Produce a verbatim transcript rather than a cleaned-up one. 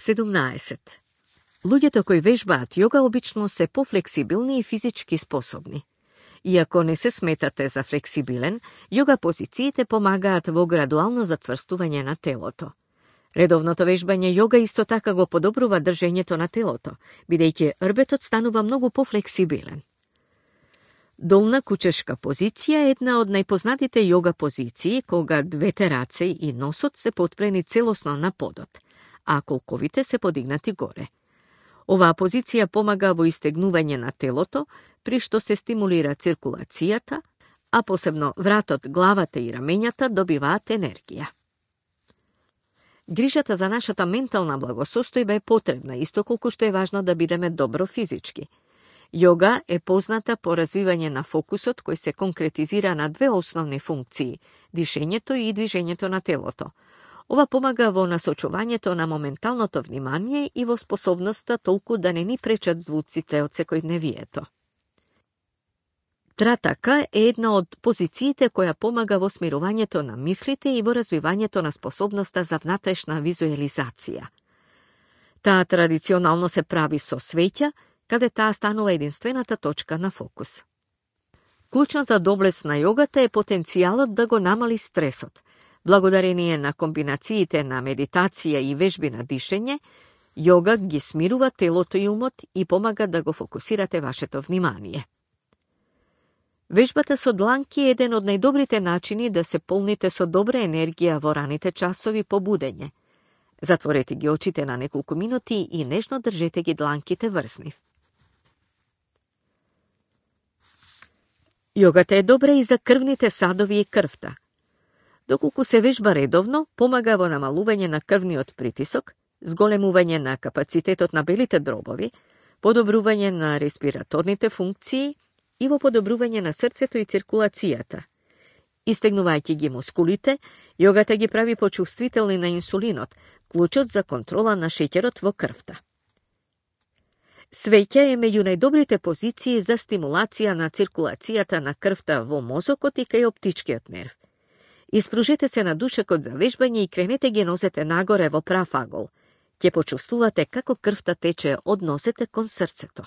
седумнаесет. Луѓето кои вежбаат јога обично се пофлексибилни и физички способни. Иако не се сметате за флексибилен, јога позициите помагаат во градуално зацврстување на телото. Редовното вежбање јога исто така го подобрува држењето на телото, бидејќи рбетот станува многу пофлексибилен. Долна кучешка позиција е една од најпознатите јога позиции, кога двете раце и носот се потпрени целосно на подот, а колковите се подигнати горе. Оваа позиција помага во истегнување на телото, при што се стимулира циркулацијата, а посебно вратот, главата и рамењата добиваат енергија. Грижата за нашата ментална благосостојба е потребна, исто колку што е важно да бидеме добро физички. Јога е позната по развивање на фокусот кој се конкретизира на две основни функции – дишењето и движењето на телото. Ова помага во насочувањето на моменталното внимание и во способноста толку да не ни пречат звуците од секојдневието. Тратака е една од позициите која помага во смирувањето на мислите и во развивањето на способноста за внатрешна визуализација. Таа традиционално се прави со свеќа, каде таа станува единствената точка на фокус. Клучната доблест на јогата е потенцијалот да го намали стресот. Благодарение на комбинациите на медитација и вежби на дишење, јога ги смирува телото и умот и помага да го фокусирате вашето внимание. Вежбата со дланки е еден од најдобрите начини да се полните со добра енергија во раните часови по будење. Затворете ги очите на неколку минути и нежно држете ги дланките врз нив. Јогата е добра и за крвните садови и крвта. Доколку се вежба редовно, помага во намалување на крвниот притисок, зголемување на капацитетот на белите дробови, подобрување на респираторните функции и во подобрување на срцето и циркулацијата. Истегнувајќи ги мускулите, јогата ги прави почувствителни на инсулинот, клучот за контрола на шеќерот во крвта. Свеќа е меѓу најдобрите позиции за стимулација на циркулацијата на крвта во мозокот и кај оптичкиот нерв. Испружете се на душекот за вежбање и кренете ги нозете нагоре во прав агол. Ќе почувствувате како крвта тече од нозете кон срцето.